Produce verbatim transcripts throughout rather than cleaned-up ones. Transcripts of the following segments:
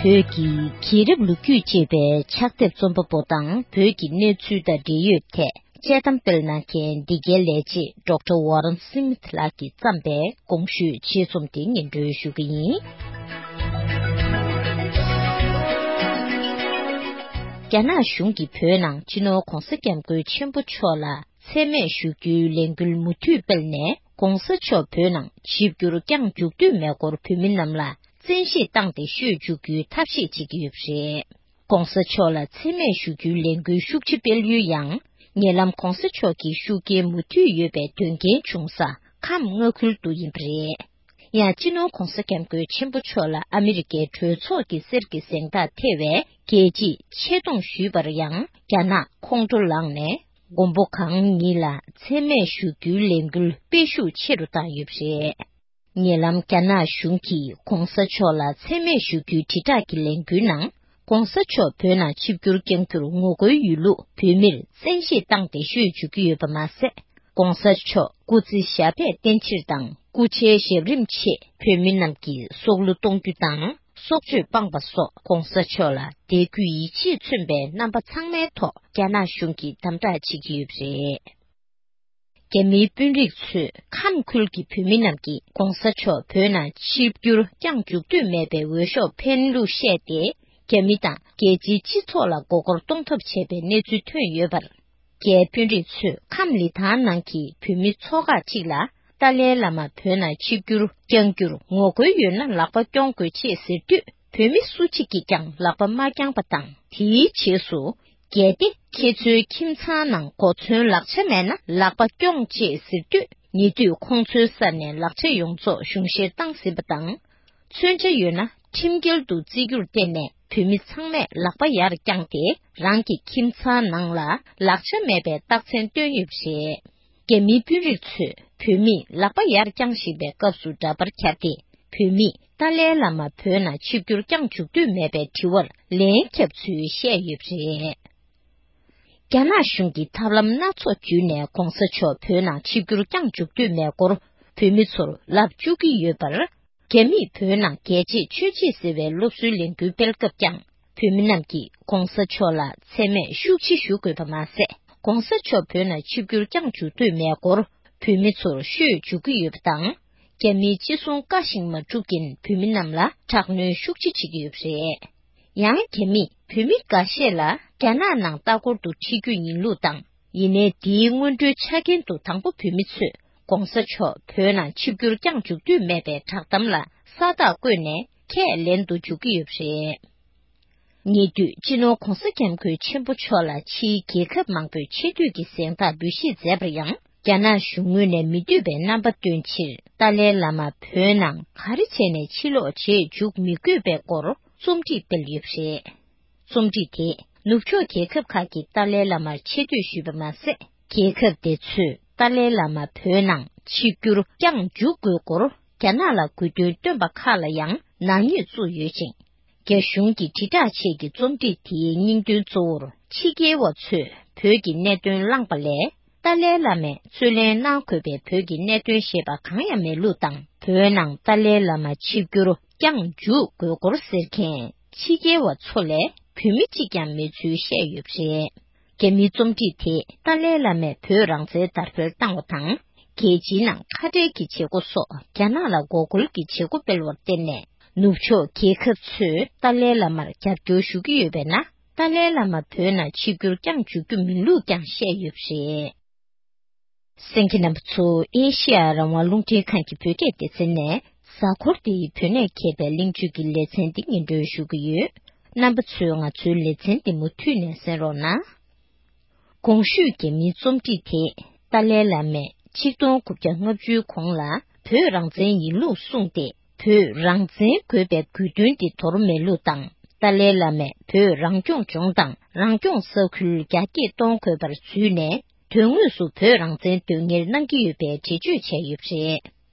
བོད་ཀྱི་རྒྱལ་རབས་ལོ་རྒྱུས་ཅེས་པའི་ཕྱག་དེབ་རྩོམ་པ་པོ་དང་བོད་ཀྱི་གནས་ཚུལ་དང་འབྲེལ་ཡོད་ཐད་དཔྱད་གཏམ་སྤེལ་གནང་མཁན་འདི་གའི་ལས་བྱེད་ཌོག་ཊར་ཝོ་རན་སི་མིཐ་ལགས་ཀྱིས་བརྩམས་པའི་གོང་ཞུས་ཆེད་རྩོམ་དེ་སྙན་སྒྲོན་ཞུ་གི་ཡིན། རྒྱ་ནག་གཞུང་གིས་བོད་ནང་སྤྱི་ནོར་༧གོང་ས་༧སྐྱབས་མགོན་ཆེན་པོ་མཆོག་ལ་མཚན་སྨད་ཞུ་རྒྱུའི་ལས་འགུལ་མུ་མཐུད་སྤེལ་ནས། ༧གོང་ས་མཆོག་བོད་ནང་ཆིབས་བསྒྱུར་བསྐྱངས་འཇུག་འདོད་མེད་སྐོར་བོད་མི་རྣམས་ལ་བཙན་ཤེད་བཏང་སྟེ་ཤོད་འཇུག་རྒྱུའི་ཐབས་ཤེས་བྱེད་ཀྱི་ཡོད་པ་རེད། ༧གོང་ས་མཆོག་ལ་མཚན་སྨད་ཞུ་རྒྱུའི་ལས་འགུལ་ཤུགས་ཆེ་སྤེལ་ཡུལ་ཡང་། ཉེ་ལམ་༧གོང་ས་མཆོག་གི་ཤུགས་རྐྱེན་མུ་མཐུད་ཡོད་པའི་དོན་རྐྱེན་བྱུང་ས་ཁམས་མངའ་ཁུལ་དུ་ཡིན་པ་རེད། ཡང་སྤྱི་ནོར་༧གོང་ས་༧སྐྱབས་མགོན་ཆེན་པོ་མཆོག་ལ་ཨ་མི་རི་ཀའི་གྲོས་ཚོགས་ཀྱི་གསེར་གྱི་གཟེངས་རྟགས་ཐེ་བའི་རྒྱལ་གཅེས་ཆེ་མཐོང་ཞུས་པར་ཡང་རྒྱ་ནག་ཁོང་ཁྲོ་ལངས་ནས། མགོན་པོ་གང་ཉིད་ལ་མཚན་སྨད་ཞུ་རྒྱུའི་ལས་འགུལ་སྤེལ་ཤུགས་ཆེ་རུ་བཏང་ཡོད་པ་རེད། ཉེ་ལམ་རྒྱ་ནག་གཞུང་གིས་༧གོང་ས་མཆོག་ལ་མཚན་སྨད་ཞུ་རྒྱུའི་དྲིལ་བསྒྲགས་ཀྱི་ལས་འགུལ་ནང་། ༧གོང་ས་མཆོག་བོད་ནང་ཆིབས་བསྒྱུར་བསྐྱང་རྒྱུར་ངོ་རྒོལ་ཡོད་ལུགས་བོད་མིར་བཙན་ཤེད་བཏང་སྟེ་ཤོད་འཇུག་གི་ཡོད་པ་མ་ཟད། ༧གོང་ས་མཆོག་སྐུ་ཚེ་ཞབས་པད་བརྟན་ཕྱིར་དང་སྐུ་ཕྱྭའི་ཞབས་རིམ་ཆེད་བོད་མི་རྣམས་ཀྱིས་སྲོག་བླུ་གཏོང་རྒྱུ་དང་། སྲོག་གཅོད་སྤངས་པ་སོགས་༧གོང་ས་མཆོག་ལ་དད་གུས་ཡིད་ཆེས་མཚོན་པའི་རྣམ་པ་ཚང་མའི་ཐོག་རྒྱ་ནག་གཞུང་གིས་དམ་དྲག་བྱེད་ཀྱི་ཡོད་པ་རེད། རྒྱ་མིའི་དཔོན་རིགས་ཚོས་ཁམས་ཁུལ་གྱི་བོད་མི་རྣམས་ཀྱིས་༧གོང་ས་མཆོག་བོད་ནང་ཆིབས་བསྒྱུར་བསྐྱངས་འཇུག་འདོད་མེད་པའི་འོས་ཤོག་འཕེན་ལུགས་བཤད་དེ། རྒྱ་མི་དང་རྒྱལ་སྤྱིའི་སྤྱི་ཚོགས་ལ་མགོ་སྐོར་གཏོང་ཐབས་བྱས་པའི་གནས་ཚུལ་ཐོན་ཡོད་པར། རྒྱའི་དཔོན་རིགས་ཚོས་ཁམས་ལི་ཐང་ནང་གི་བོད་མི་ཚོ་ཁག་ཅིག་ལ་ཏཱ་ལའི་བླ་མ་བོད་ནང་ཆིབས་བསྒྱུར་བསྐྱང་རྒྱུར་ངོ་རྒོལ་ཡོད་ན་ལག་པ་རྐྱོང་དགོས་ཆེད་ཟེར་དུས། བོད་མི་སུ་གཅིག་གིས་ཀྱང་ལག་པ་མ་བརྐྱངས་པ་དང་། དེའི་རྗེས་སུ། གལ་ཏེ་ཁྱེད་ཚོའི་ཁྱིམ་ཚང་ནང་གོ་མཚོན་ལག་ཆ་མེད་ན་ལག་པ་རྐྱོང་ཅེས་ཟེར་དུས། ཉེ་དུས་ཁོང་ཚོའི་སར་ནས་ལག་ཆ་ཡོངས་རྫོགས་གཞུང་བཞེས་བཏང་ཟིན་པ་དང་། མཚོན་ཆ་ཡོད་ན་ཁྲིམས་འགལ་དུ་བརྩི་རྒྱུར་བརྟེན་ནས། བོད་མི་ཚང་མས་ལག་པ་ཡར་བརྐྱངས་ཏེ། རང་གི་ཁྱིམ་ཚང་ནང་ལ་ལག་ཆ་མེད་པའི་རྟགས་མཚན་སྟོན་ཡོད་པ་རེད། རྒྱ་མིའི་དཔོན་རིགས་ཚོས་བོད་མིས་ལག་པ་ཡར་བརྐྱངས་བཞིན་པའི་སྐབས་སུ་འདྲ་པར་འཁྱར་ཏེ། བོད་མིས་ཏཱ་ལའི་བླ་མ་བོད་ནང་ཆིབས་བསྒྱུར་བསྐྱངས་འཇུག་འདོད་མེད་པའི་དྲི་བར་ལན་བརྒྱབ་ཚུལ་བཤད་ཡོད་པ་རེད། རྒྱ་ནག་གཞུང་གིས་ཐབས་ལམ་སྣ་ཚོགས་བརྒྱུད་ནས་༧གོང་ས་མཆོག་བོད་ནང་ཆིབས་བསྒྱུར་བསྐྱངས་འཇུག་འདོད་མེད་སྐོར་བོད་མི་ཚོར་ལབ་བཅུག་གི་ཡོད་པར། རྒྱ་མིས་བོད་ནང་རྒྱལ་གཅེས་ཆོས་གཅེས་ཟེར་བའི་སློབ་གསོའི་ལས་འགུལ་སྤེལ་སྐབས་ཀྱང་། བོད་མི་རྣམས་ཀྱིས་༧གོང་ས་མཆོག་ལ་མཚན་སྨད་ཤུགས་ཆེ་ཞུ་དགོས་པ་མ་ཟད། ༸གོང་ས་མཆོག་བོད་ནང་ཆིབས་བསྒྱུར་བསྐྱངས་འཇུག་འདོད་མེད་སྐོར་བོད་མི་ཚོར་ཤོད་འཇུག་གི་ཡོད་པ་དང་། རྒྱ་མིའི་ཅི་གསུང་བཀའ་བཞིན་མ་སྒྲུབ་མཁན་བོད་མི་རྣམས་ལ་དྲག་གནོན་ཤུགས་ཆེ་བྱེད་ཀྱི་ཡོད་པ་རེད། ཡང་རྒྱ་མིས་བོད་མི་འགའ་ཤས་ལ་རྒྱ་ནག་ནང་ལྟ་སྐོར་དུ་ཁྲིད་རྒྱུ་ཡིན་ལུགས་དང་། ཡིན་ནའི་དེའི་སྔོན་འགྲོའི་ཆ་རྐྱེན་དུ་དང་པོ་བོད་མི་ཚོས་༸གོང་ས་མཆོག་བོད་ནང་ཆིབས་བསྒྱུར་བསྐྱངས་འཇུག་འདོད་མེད་པའི་བསྒྲགས་གཏམ་ལ་ས་རྟགས་བཀོད་ནས་ཁས་ལེན་དུ་འཇུག་གི་ཡོད་པ་རེད། ཉེ་དུས་སྤྱི་ནོར་༸གོང་ས་༸སྐྱབས་མགོན་ཆེན་པོ་མཆོག་ལ་ཕྱིའི་རྒྱལ་ཁབ་མང་པོས་ཆེ་བསྟོད་ཀྱི་གཟེངས་རྟགས་འབུལ་བཞེས་མཛད་པར་ཡང་། རྒྱ་ནག་གཞུང་ངོས་ནས་མི་འདོད་པའི་རྣམ་པ་སྟོན་ཕྱིར། ཏཱ་ལའི་བླ་མ་བོད་ནང་ག་རེ་བྱས་ནས་ཕྱིར་ལོག་བྱེད་འཇུག་མི་དགོས་པའི་སྐོར་རྩོམ་སྒྲིག་སྤེལ་ཡོད་པ་རེད། རྩོམ་སྒྲིག་དེས་ནུབ་ཕྱོགས་རྒྱལ་ཁབ་ཁག་གིས་ཏཱ་ལའི་བླ་མར་ཆེ་བསྟོད་ཞུས་པ་མ་ཟད། རྒྱལ་ཁབ་དེ་ཚོས་ཏཱ་ལའི་བླ་མ་བོད་ནང་ཆིབས་བསྒྱུར་བསྐྱངས་འཇུག་དགོས་སྐོར་རྒྱ་ནག་ལ་དགོས་འདུན་བཏོན་པ་ཁག་ལ་ཡང་ནག་ཉེས་བཙུགས་ཡོད་ཅིང་། རྒྱ་གཞུང་གི་དྲིལ་བསྒྲགས་ཆེད་ཀྱི་རྩོམ་སྒྲིག་དེའི་སྙིང་དོན་གཙོ་བོར་ཕྱི་རྒྱལ་བ་ཚོས་བོད་ཀྱི་གནད་དོན་བླངས་པ་ལས། ཏཱ་ལའི་བླ་མས་རྩོད་ལེན་གནང་དགོས་པའི་བོད་ཀྱི་གནད་དོན་ཞེས་པ་གང་ཡང་མེད་ལུགས་དང་། བོད་ནང་ཏཱ་ལའི་བླ་མ་ཆིབས་བསྒྱུར་བསྐྱངས་འཇུག་དགོས་སྐོར་ཟེར་མཁན་ཕྱི་རྒྱལ་བ་ཚོ་ལས་བོད་མི་གཅིག་ཀྱང་མེད་ཚུལ་བཤད་ཡོད་པ་རེད། རྒྱ་མིའི་རྩོམ་སྒྲིག་དེས་ཏཱ་ལའི་བླ་མས་བོད་རང་བཙན་དར་སྤེལ་བཏང་བ་དང་། རྒྱལ་སྤྱིའི་ནང་ཁ་བྲལ་གྱི་བྱེད་སྒོ་སོགས་རྒྱ་ནག་ལ་འགོག་རྒོལ་གྱི་བྱེད་སྒོ་སྤེལ་བར་བརྟེན་ནས། ནུབ་ཕྱོགས་རྒྱལ་ཁབ་ཚོས་ཏཱ་ལའི་བླ་མར་རྒྱབ་སྐྱོར་ཞུ་གི་ཡོད་པས་ན། ཏཱ་ལའི་བླ་མ་བོད་ནང་ཆིབས་བསྒྱུར་བསྐྱངས་འཇུག་རྒྱུ་མིན་ལུགས་ཀྱང་བཤད་ཡོད་པ་རེད། གསན་མཁན་རྣམ་པ་ཚོ། ཨེ་ཤེ་ཡ་རང་དབང་རླུང་འཕྲིན་ཁང་གི་བོད་སྐད་སྡེ་ཚན་ནས། གཟའ་འཁོར་འདིའི་བོད་གནས་མཁས་པའི་གླེང་བརྗོད་ཀྱི་ལེ་ཚན་འདི་སྙན་སྒྲོན་ཞུ་གི་ཡོད། རྣམ་པ་ཚོས་ང་ཚོའི་ལེ་ཚན་འདི་མུ་མཐུད་ནས་གསན་རོགས་གནང་། གོང་ཞུས་རྒྱ་མིའི་རྩོམ་སྒྲིག་དེས་ཏཱ་ལའི་བླ་མས་ཆིག་སྟོང་དགུ་བརྒྱ་ལྔ་བཅུའི་གོང་ལ་བོད་རང་བཙན་ཡིན་ལུགས་གསུངས་ཏེ། བོད་རང་བཙན་དགོས་པའི་དགོས་འདུན་དེ་དོར་མེད་ལུགས་དང་། ཏཱ་ལའི་བླ་མས་བོད་རང་སྐྱོང་ལྗོངས་དང་རང་སྐྱོང་ས་ཁུལ་རྒྱ་སྐྱེད་གཏོང་དགོས་པར་བརྫུས་ནས། དོན་དངོས་སུ་བོད་རང་བཙན་དོན་གཉེར་གནང་གི་ཡོད་པའི་འགྲེལ་བརྗོད་བྱས་ཡོད་པ་རེད།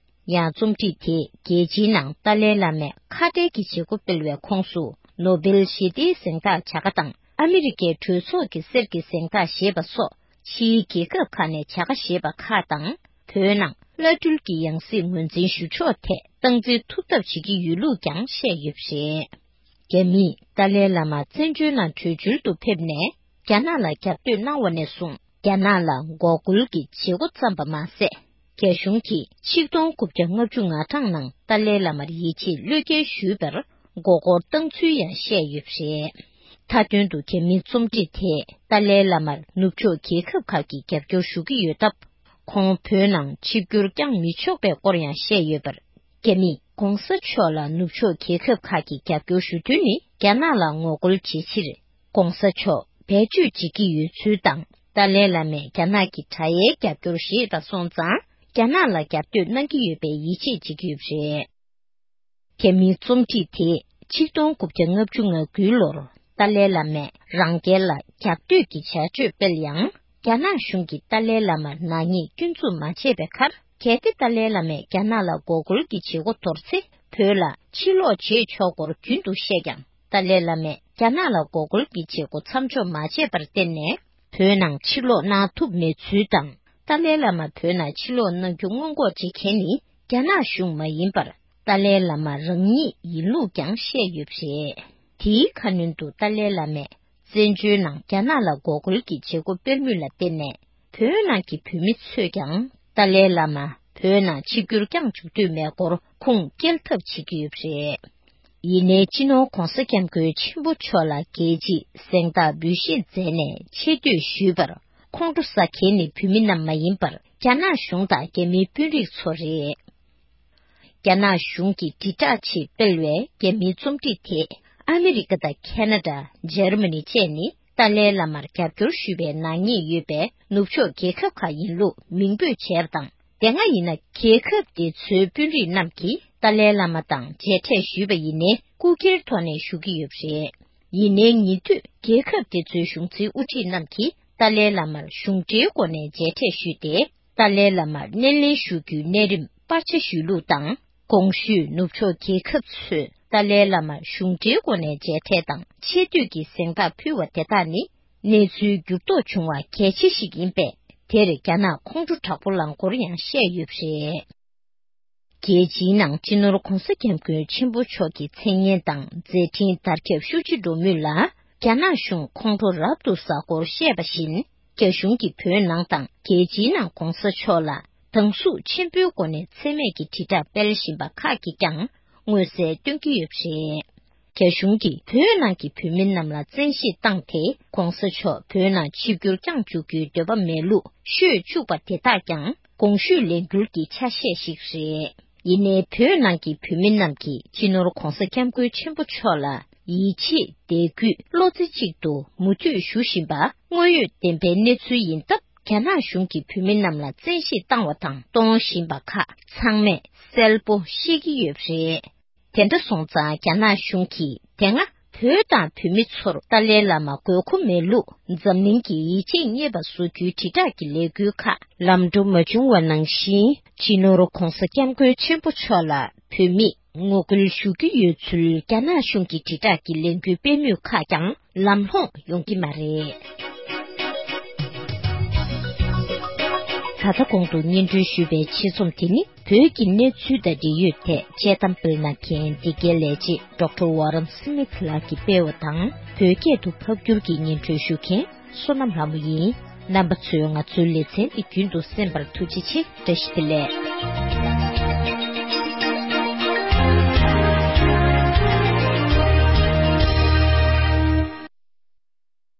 ཡང་རྩོམ་སྒྲིག་དེས་རྒྱལ་སྤྱིའི་ནང་ཏཱ་ལའི་བླ་མས་ཁ་བྲལ་གྱི་བྱེད་སྒོ་སྤེལ་བའི་ཁོངས་སུ་ནོ་སྦེལ་ཞི་བདེའི་གཟེངས་རྟགས་བྱ་དགའ་དང་ཨ་མི་རི་ཀའི་གྲོས་ཚོགས་ཀྱི་གསེར་གྱི་གཟེངས་རྟགས་ཞེས་པ་སོགས་ཕྱིའི་རྒྱལ་ཁབ་ཁག་ནས་བྱ་དགའ་བཞེས་པ་ཁག་དང་། བོད་ནང་བླ་སྤྲུལ་གྱི་ཡང་སྲིད་ངོས་འཛིན་ཞུ་ཕྱོགས་ཐད་སྟངས་འཛིན་ཐུབ་ཐབས་བྱེད་ཀྱི་ཡོད་ལུགས་ཀྱང་བཤད་ཡོད་པ་རེད། རྒྱ་མིས་ཏཱ་ལའི་བླ་མ་བཙན་བྱོལ་ནང་བྲོས་བྱོལ་དུ་ཕེབས་ནས་རྒྱ་ནག་ལ་རྒྱབ་གཏོད་གནང་བ་ནས་བཟུང་རྒྱ་ནག་ལ་འགོག་རྒོལ་གྱི་བྱེད་སྒོ་བརྩམས་པ་མ་ཟད། རྒྱ་གཞུང་གིས་ཆིག་སྟོང་དགུ་བརྒྱ་ལྔ་བཅུ་ང་གྲངས་ནང་ཏཱ་ལའི་བླ་མར་ཡིད་ཆེས་བློས་འགེལ་ཞུས་པར་མགོ་སྐོར་བཏང་ཚུལ་ཡང་བཤད་ཡོད་པ་རེད། མཐའ་དོན་དུ་རྒྱ་མིའི་རྩོམ་སྒྲིག་དེས་ཏཱ་ལའི་བླ་མར་ནུབ་ཕྱོགས་རྒྱལ་ཁབ་ཁག་གིས་རྒྱབ་སྐྱོར་ཞུ་གི་ཡོད་སྟབས། ཁོང་བོད་ནང་ཆིབས་བསྒྱུར་བསྐྱངས་མི་ཆོག་པའི་སྐོར་ཡང་བཤད་ཡོད་པར། རྒྱ་མིས་༧གོང་ས་མཆོག་ལ་ནུབ་ཕྱོགས་རྒྱལ་ཁབ་ཁག་གིས་རྒྱབ་སྐྱོར་ཞུ་དོན་ནི་རྒྱ་ནག་ལ་ངོ་རྒོལ་བྱེད་ཕྱིར། ༸གོང་ས་མཆོག་བེད་སྤྱོད་བྱེད་ཀྱི་ཡོད་ཚུལ་དང་། ཏཱ་ལའི་བླ་མས་རྒྱ་ནག་གི་དྲག་ཡའི་རྒྱབ་སྐྱོར་བཞེས་པ་སོང་ཙང་། རྒྱ་ནག་ལ་རྒྱབ་གཏོད་གནང་གི་ཡོད་པའི་ཡིད་ཆེས་བྱེད་ཀྱི་ཡོད་པ་རེད། རྒྱ་མིའི་རྩོམ་སྒྲིག་དེས་ཆིག་སྟོང་དགུ་བརྒྱ་ལྔ་བཅུ་ང་དགུའི་ལོར་ཏཱ་ལའི་བླ་མས་རང་རྒྱལ་ལ་རྒྱབ་གཏོད་ཀྱི་བྱ་སྤྱོད་སྤེལ་ཡང་། རྒྱ་ནག་གཞུང་གིས་ཏཱ་ལའི་བླ་མར་ནག་ཉེས་སྐྱོན་འཛུགས་མ་བྱས་པའི་ཁར། གལ་ཏེ་ཏཱ་ལའི་བླ་མས་རྒྱ་ནག་ལ་འགོག་རྒོལ་གྱི་བྱེད་སྒོ་དོར་ཚེ། བོད་ལ་ཕྱིར་ལོག་བྱེད་ཆོག་སྐོར་རྒྱུན་དུ་བཤད་ཀྱང་། ཏཱ་ལའི་བླ་མས་རྒྱ་ནག་ལ་འགོག་རྒོལ་གྱི་བྱེད་སྒོ་མཚམས་འཇོག་མ་བྱས་པར་བརྟེན་ནས། བོད་ནང་ཕྱིར་ལོག་གནང་ཐུབ་མེད་ཚུལ་དང་། ཏཱ་ལའི་བླ་མ་བོད་ནང་ཕྱིར་ལོག་གནང་རྒྱུ་སྔོན་འགོག་བྱེད་མཁན་ནི་རྒྱ་ནག་གཞུང་མ་ཡིན་པར། ཏཱ་ལའི་བླ་མ་རང་ཉིད་ཡིན་ལུགས་ཀྱང་བཤད་ཡོད་པ་རེད། དེའི་ཁ་སྣོན་དུ་ཏཱ་ལའི་བླ་མས་བཙན་བྱོལ་ནང་རྒྱ་ནག་ལ་འགོག་རྒོལ་གྱི་བྱེད་སྒོ་སྤེལ་མུས་ལ་བརྟེན་ནས། བོད་ནང་གི་བོད་མི་ཚོས་ཀྱང་ཏཱ་ལའི་བླ་མ་བོད་ནང་ཆིབས་བསྒྱུར་བསྐྱངས་བཅུག་འདོད་མེད་སྐོར་ཁུངས་སྐྱེལ་ཐབས་བྱེད་ཀྱི་ཡོད་པ་རེད། ཡིན་ནའི། སྤྱི་ནོར་༸གོང་ས་༸སྐྱབས་མགོན་ཆེན་པོ་མཆོག་ལ་རྒྱལ་སྤྱིའི་གཟེངས་རྟགས་འབུལ་བཞེས་མཛད་ནས་ཆེ་བསྟོད་ཞུས་པར། ཁོང་ཁྲོ་ཟ་མཁན་ནི་བོད་མི་རྣམས་མ་ཡིན་པར། རྒྱ་ནག་གཞུང་དང་རྒྱ་མིའི་དཔོན་རིགས་ཚོ་རེད། རྒྱ་ནག་གཞུང་གིས་དྲིལ་བསྒྲགས་ཆེད་སྤེལ་བའི་རྒྱ་མིའི་རྩོམ་སྒྲིག་དེས། ཨ་མི་རི་ཀ་དང་ཁེ་ན་ཌ། འཇར་མ་ནི་བཅས་ནི་ཏཱ་ལའི་བླ་མར་རྒྱབ་སྐྱོར་ཞུ་བའི་ནག་ཉེས་ཡོད་པའི་ནུབ་ཕྱོགས་རྒྱལ་ཁབ་ཁག་ཡིན་ལུགས་མིང་འབོད་བྱས་པ་དང་། དེ་སྔ་ཡིན་ན། རྒྱལ་ཁབ་དེ་ཚོའི་དཔོན་རིགས་རྣམས་ཀྱིས་ཏཱ་ལའི་བླ་མ་དང་མཇལ་འཕྲད་ཞུས་པ་ཡིན་ནའི། རྐུ་འཁྱེར་ཐོག་ནས་ཞུ་གི་ཡོད་པ་རེད། ཡིན་ནའི། ཉེ་དུས་རྒྱལ་ཁབ་དེ་ཚོའི་གཞུང་འཛིན་དབུ་ཁྲིད་རྣམས་ཀྱིས་ཏཱ་ལའི་བླ་མར་གཞུང་འབྲེལ་སྒོ་ནས་མཇལ་འཕྲད་ཞུས་ཏེ། ཏཱ་ལའི་བླ་མར་སྣེ་ལེན་ཞུ་རྒྱུའི་གནས་རིམ་སྤར་ཆ་ཞུས་ལུགས་དང་། གོང་ཞུས་ནུབ་ཕྱོགས་རྒྱལ་ཁབ་ཚོས་ཏཱ་ལའི་བླ་མར་གཞུང་འབྲེལ་སྒོ་ནས་མཇལ་འཕྲད་དང་ཆེ་བསྟོད་ཀྱི་གཟེངས་རྟགས་ཕུལ་བ་དེ་དག་ནི། གནས་ཚུལ་འགྱུར་ལྡོག་བྱུང་བ་གལ་ཆེ་ཞིག་ཡིན་པས། དེར་རྒྱ་ནག་ཁོང་ཁྲོ་དྲག་པོ་ལངས་སྐོར་ཡང་བཤད་ཡོད་པ་རེད། རྒྱལ་སྤྱིའི་ནང་སྤྱི་ནོར་༸གོང་ས་༸སྐྱབས་མགོན་ཆེན་པོ་མཆོག་གི་མཚན་སྙན་དང་མཛད་འཕྲིན་དར་ཁྱབ་ཤུགས་ཆེ་འགྲོ་མུས་ལ། རྒྱ་ནག་གཞུང་ཁོང་ཁྲོ་རབ་ཏུ་ཟ་སྐོར་བཤད་པ་བཞིན། རྒྱ་གཞུང་གིས་བོད་ནང་དང་རྒྱལ་སྤྱིའི་ནང་༸གོང་ས་མཆོག་ལ་སྡང་ཟུག་ཆེན་པོའི་སྒོ་ནས་མཚན་སྨད་ཀྱི་དྲིལ་བསྒྲགས་སྤེལ་བཞིན་པ་ཁག་གིས་ཀྱང་མངོན་གསལ་སྟོན་གྱི་ཡོད་པ་རེད། རྒྱ་གཞུང་གིས་བོད་ནང་གི་བོད་མི་རྣམས་ལ་བཙན་ཤེད་བཏང་སྟེ། ༸གོང་ས་མཆོག་བོད་ནང་ཆིབས་བསྒྱུར་བསྐྱངས་འཇུག་རྒྱུའི་འདོད་པ་མེད་ལུགས་ཤོད་བཅུག་པ་དེ་དག་ཀྱང་གོང་ཞུས་ལས་འགུལ་གྱི་ཆ་ཤས་ཤིག་རེད། ཡིན་ནའི། བོད་ནང་གི་བོད་མི་རྣམས་ཀྱིས་སྤྱི་ནོར་༸གོང་ས་༸སྐྱབས་མགོན་ཆེན་པོ་མཆོག་ལ་ཡིད་ཆེས་དད་གུས་བློ་རྩེ་གཅིག་ཏུ་མུ་མཐུད་ཞུ་བཞིན་པ་དངོས་ཡོད་བདེན་པའི་གནས་ཚུལ་ཡིན་སྟབས། རྒྱ་ནག་གཞུང་གིས་བོད་མི་རྣམས་ལ་བཙན་ཤེད་བཏང་བ་དང་གཏོང་བཞིན་པ་ཁག་ཚང་མས་གསལ་པོ་ཤེས་ཀྱི་ཡོད་པ་རེད། དེ་འདྲ་སོང་ཙང་། རྒྱ་ནག་གཞུང་གིས་དེ་སྔ་བོད་དང་བོད་མི་ཚོར་ཏཱ་ལའི་བླ་མ་དགོས་མཁོ་མེད་ལུགས་འཛམ་གླིང་གིས་ཡིད་ཆེས་རྙེད་པ་བཟོ་རྒྱུའི་དྲིལ་བསྒྲགས་ཀྱི་ལས་འགུལ་ཁག་ལམ་འགྲོ་མ་བྱུང་བ་ནང་བཞིན། སྤྱི་ནོར་༸གོང་ས་༸སྐྱབས་མགོན་ཆེན་པོ་མཆོག་ལ་བོད་མིས་ངོ་རྒོལ་ཞུ་གི་ཡོད་ཚུལ་རྒྱ་ནག་གཞུང་གི་དྲིལ་བསྒྲགས་ཀྱི་ལས་འགུལ་སྤེལ་མུས་ཁག་ཀྱང་ལམ་ལྷོང་ཡོང་གི་མ་རེད། ད་ལྟ་གོང་དུ་སྙན་སྒྲོན་ཞུས་པའི་ཆེད་རྩོམ་དེ་ནི། བོད་ཀྱི་གནས་ཚུལ་དང་འབྲེལ་ཡོད་ཐད་དཔྱད་གཏམ་སྤེལ་གནང་མཁན་འདི་གའི་ལས་བྱེད་ཌོག་ཊར་ཝོ་རན་སི་མིཐ་ལགས་ཀྱིས་སྤེལ་བ་དང་། བོད་སྐད་དུ་ཕབ་བསྒྱུར་གྱིས་སྙན་སྒྲོན་ཞུ་མཁན་བསོད་ནམས་ལྷ་མོ་ཡིན། རྣམ་པ་ཚོས་ང་ཚོའི་ལེ་ཚན་འདི་རྒྱུན་དུ་གསན་པར་ཐུགས་རྗེ་ཆེ། བཀྲ་ཤིས་བདེ་ལེགས།